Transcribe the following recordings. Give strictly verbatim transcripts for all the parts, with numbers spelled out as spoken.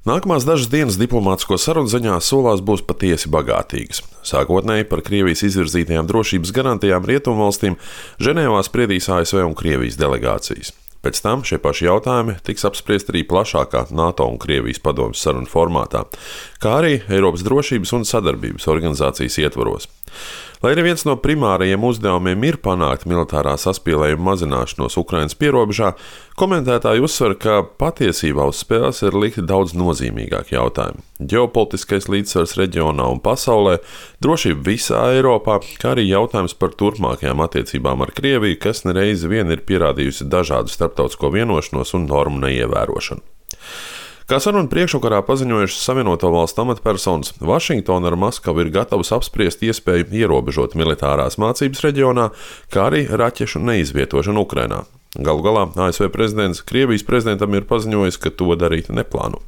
Nākamās dažas dienas diplomātisko sarunu ziņā solās būs patiesi bagātīgas. Sākotnēji par Krievijas izvirzītajām drošības garantijām Rietumvalstīm Ženēvā spriedīs A S V un Krievijas delegācijas. Pēc tam šie paši jautājumi tiks apspriesti arī plašākā NATO un Krievijas padomes sarunu formātā, kā arī Eiropas drošības un sadarbības organizācijas ietvaros. Lai arī viens no primārajiem uzdevumiem ir panākt militārā saspīlējuma mazināšanos Ukrainas pierobežā, komentētāji uzsver, ka patiesībā uz spēles ir likti daudz nozīmīgāki jautājumi - ģeopolitiskais līdzsvars reģionā un pasaulē, drošība visā Eiropā, kā arī jautājums par turpmākajām attiecībām ar Krieviju, kas nereizi vien ir pierādījusi dažādu starptautisko vienošanos un normu neievērošanu. Kā sarunu priekšvakarā paziņojušas Savienoto Valstu amatpersonas, Vašingtona ar Maskavu ir gatavas apspriest iespēju ierobežot militārās mācības reģionā, kā arī raķešu neizvietošanu Ukrainā. Galu galā A S V prezidents Krievijas prezidentam ir paziņojis, ka to darīt neplāno.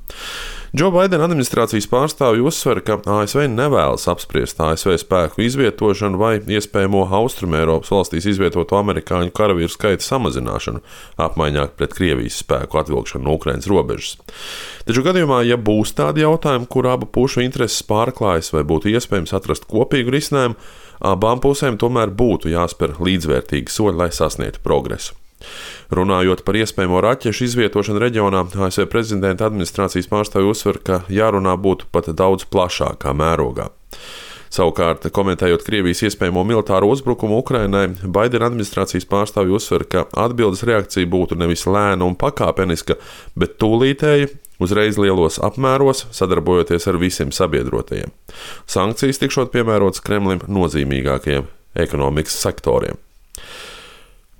Džo Baidena administrācijas pārstāvji uzsver, ka A S V nevēlas apspriest A S V spēku izvietošanu vai iespējamo Austrumēropas valstīs izvietoto amerikāņu karavīru skaita samazināšanu, apmaiņā pret Krievijas spēku atvilkšanu no Ukrainas robežas. Taču gadījumā, ja būs tādi jautājumi, kur abu pušu intereses pārklājas vai būtu iespējams atrast kopīgu risinājumu, abām pusēm tomēr būtu jāspēr līdzvērtīgi soļi, lai sasniegtu progresu. Runājot par iespējamo raķešu izvietošanu reģionā, A S V prezidenta administrācijas pārstāvji uzsver, ka jārunā būtu pat daudz plašākā mērogā. Savukārt, komentējot Krievijas iespējamo militāro uzbrukumu Ukrainai, Baidena administrācijas pārstāvji uzsver, ka atbildes reakcija būtu nevis lēna un pakāpeniska, bet tūlītēja, uzreiz lielos apmēros, sadarbojoties ar visiem sabiedrotajiem. Sankcijas tikšot piemērotas Kremlim nozīmīgākajiem ekonomikas sektoriem.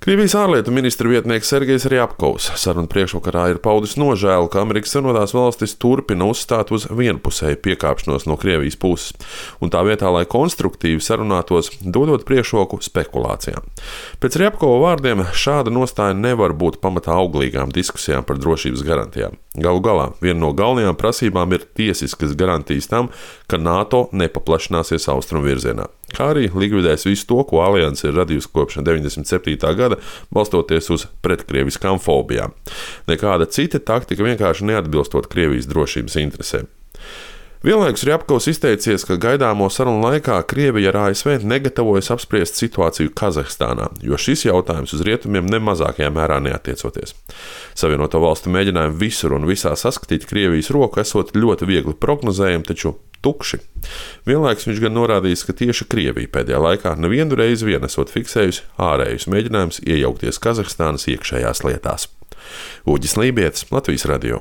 Krievijas ārlietu ministra vietnieks Sergejs Rjapkovs sarunu priekšvakarā ir paudis nožēlu, ka Amerikas Savienotās valstis turpina uzstāt uz vienpusēju piekāpšanos no Krievijas puses, un tā vietā, lai konstruktīvi sarunātos, dodot priekšroku spekulācijām. Pēc Rjapkova vārdiem šāda nostāja nevar būt pamatā auglīgām diskusijām par drošības garantijām. Galu galā viena no galvenajām prasībām ir tiesiskas garantijas tam, ka NATO nepaplašināsies austrumu virzienā, kā arī likvidēs visu to, ko alianse ir radījusi kopš deviņdesmit septītā gada, balstoties uz pretkrieviskām fobijām. Nekāda cita taktika vienkārši neatbilstot Krievijas drošības interesēm. Vienlaikus Rjapkovs izteicies, ka gaidāmo sarunu laikā Krievija ar A S V negatavojas apspriest situāciju Kazahstānā, jo šis jautājums uz rietumiem nemazākajā mērā neatiecoties. Savienoto valstu mēģinājumi visur un visā saskatīt Krievijas roku esot ļoti viegli prognozējami, taču tukši. Vienlaikus viņš gan norādījis, ka tieši Krievija pēdējā laikā nevienu reizi vien esot fiksējusi ārējus mēģinājumus iejaukties Kazahstānas iekšējās lietās. Uģis Lībietis, Latvijas radio.